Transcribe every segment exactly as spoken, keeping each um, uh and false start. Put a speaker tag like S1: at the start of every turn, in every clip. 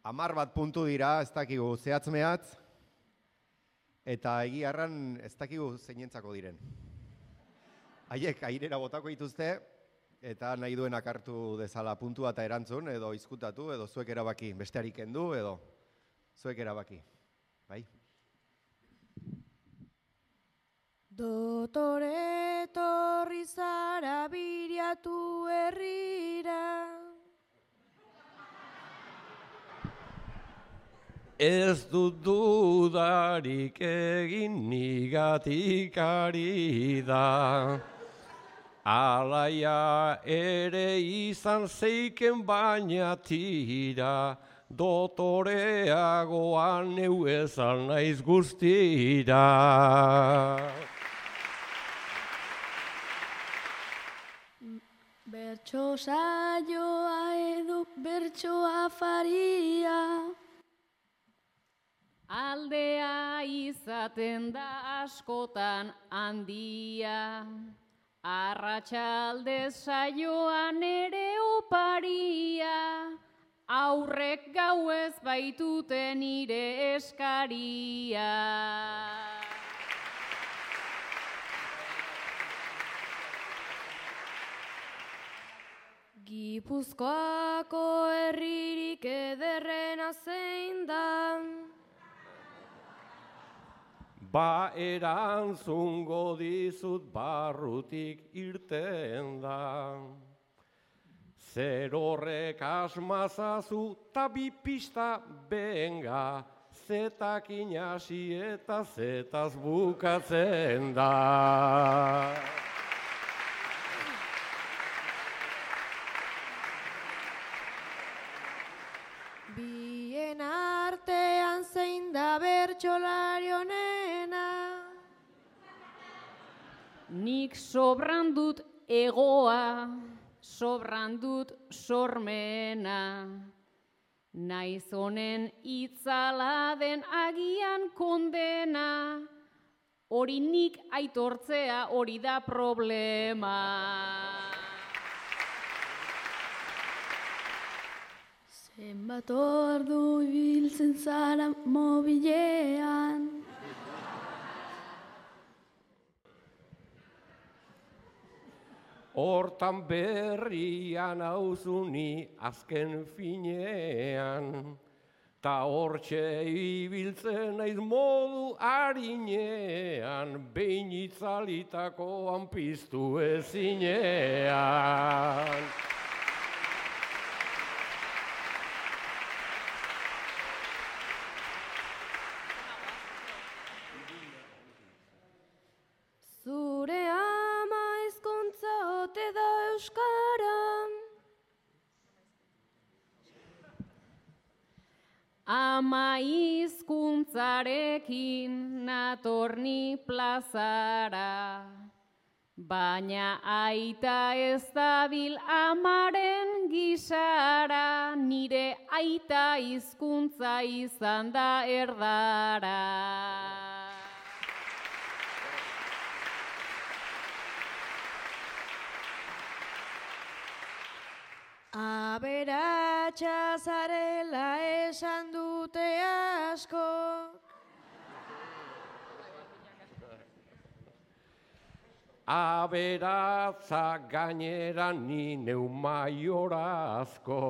S1: Hamar bat puntu dira, ez dakigu zehatz mehatz, eta egiarran ez dakigu zeinentzako diren. Haiek airera botako dituzte, eta nahi duenak hartu dezala puntua eta erantzun, edo izkutatu, edo zuek erabaki, besteari kendu, edo zuek erabaki. Bai?
S2: Dotore etorri zara biriatu herrira.
S3: Ez dut dudarik egin nigatik ari da. Alaia ere izan zeiken baina tira, dotoreagoan neu ezan naiz guztira.
S2: Bertso saioa edo bertso afaria.
S4: Aldea izaten da askotan handia, arratsaldez saioan ere oparia, aurrek gauez baitute nire eskaria.
S2: Gipuzkoako herririk ederrena zein da.
S3: Ba erantzungo dizut barrutik irten da. Zer horrek asmazazu ta bi pista benga, zetakin hasi eta zetaz bukatzen da.
S2: Bien artean zein da bertsolari onena.
S4: Nik sobran dut egoa, sobran dut sormena. Naiz honen itzala den agian kondena, hori nik aitortzea hori da problema.
S2: Zenbat ordu ibiltzen zara mobilean.
S3: Hortan berrian hauzuni azken finean, ta hortxe ibiltzen naiz modu harinean, behin itzalitakoan piztu ezinean.
S2: Zure ama hizkuntza ote da euskara.
S4: Ama hizkuntzarekin natorni plazara, baina aita ez dabil amaren gisara, nire aita hizkuntza izan da erdara.
S2: Aberatsa zarela esan dute asko.
S3: Aberatza gainera ni neu maiorazko,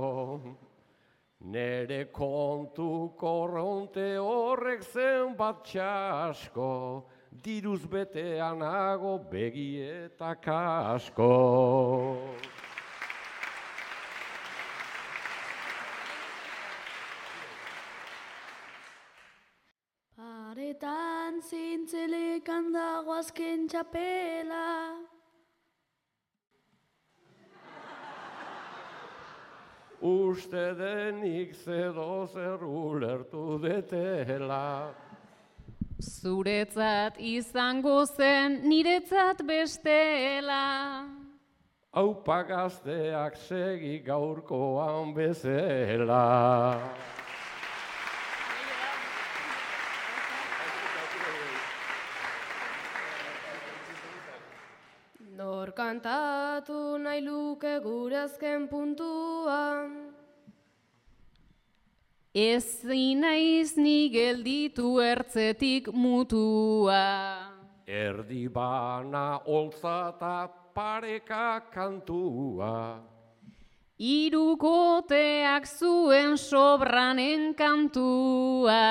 S3: nere kontu korronte horrek zenbat txasko, diruz beteanago begietak asko.
S2: Paretan zintzelekan dago azken txapela.
S3: Uste denik zedo zer ulertu detela.
S4: Zuretzat izango zen niretzat bestela.
S3: Aupa gazteak segi gaurkoan bezela.
S2: Nor kantatu nahi luke gure azken puntua.
S4: ezin naiz ni gelditu ertzetik mutua.
S3: Erdi bana holtza eta pareka kantua.
S4: Hirukoteak zuen sobranen kantua.